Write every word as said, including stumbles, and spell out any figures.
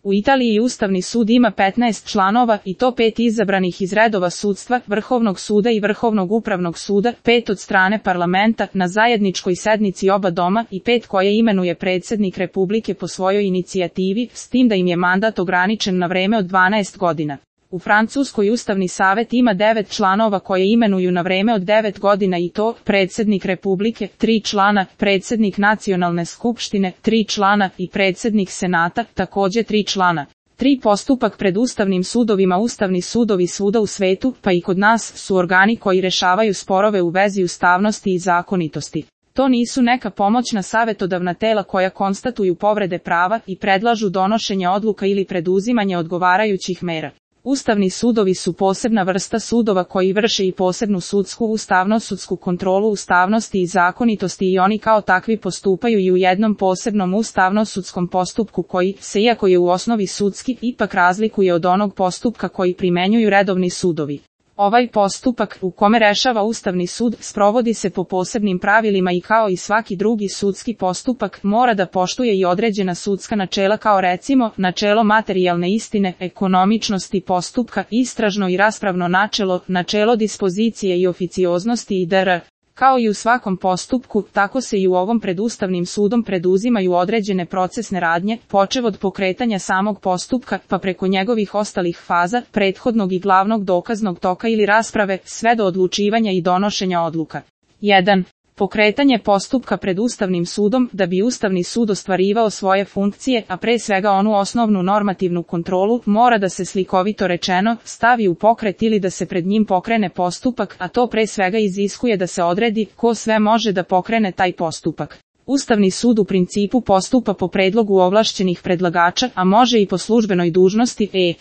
U Italiji Ustavni sud ima petnaest članova i to pet izabranih iz redova sudstva, Vrhovnog suda i Vrhovnog upravnog suda, pet od strane parlamenta na zajedničkoj sednici oba doma i pet koje imenuje predsjednik Republike po svojoj inicijativi, s tim da im je mandat ograničen na vreme od dvanaest godina. U Francuskoj Ustavni savet ima devet članova koje imenuju na vreme od devet godina i to predsjednik Republike, tri člana, predsjednik Nacionalne skupštine, tri člana i predsjednik Senata, također tri člana. Tri postupak pred ustavnim sudovima. Ustavni sudovi svuda u svetu, pa i kod nas, su organi koji rešavaju sporove u vezi ustavnosti i zakonitosti. To nisu neka pomoćna savjetodavna tela koja konstatuju povrede prava i predlažu donošenje odluka ili preduzimanje odgovarajućih mera. Ustavni sudovi su posebna vrsta sudova koji vrše i posebnu sudsku ustavno-sudsku kontrolu ustavnosti i zakonitosti i oni kao takvi postupaju i u jednom posebnom ustavno-sudskom postupku koji se, iako je u osnovi sudski, ipak razlikuje od onog postupka koji primenjuju redovni sudovi. Ovaj postupak, u kome rešava Ustavni sud, sprovodi se po posebnim pravilima i kao i svaki drugi sudski postupak, mora da poštuje i određena sudska načela kao recimo, načelo materijalne istine, ekonomičnosti postupka, istražno i raspravno načelo, načelo dispozicije i oficioznosti itd. Kao i u svakom postupku, tako se i u ovom pred Ustavnim sudom preduzimaju određene procesne radnje, počev od pokretanja samog postupka, pa preko njegovih ostalih faza, prethodnog i glavnog dokaznog toka ili rasprave, sve do odlučivanja i donošenja odluka. jedan. Pokretanje postupka pred Ustavnim sudom. Da bi Ustavni sud ostvarivao svoje funkcije, a pre svega onu osnovnu normativnu kontrolu, mora da se slikovito rečeno stavi u pokret ili da se pred njim pokrene postupak, a to pre svega iziskuje da se odredi ko sve može da pokrene taj postupak. Ustavni sud u principu postupa po predlogu ovlašćenih predlagača, a može i po službenoj dužnosti, e.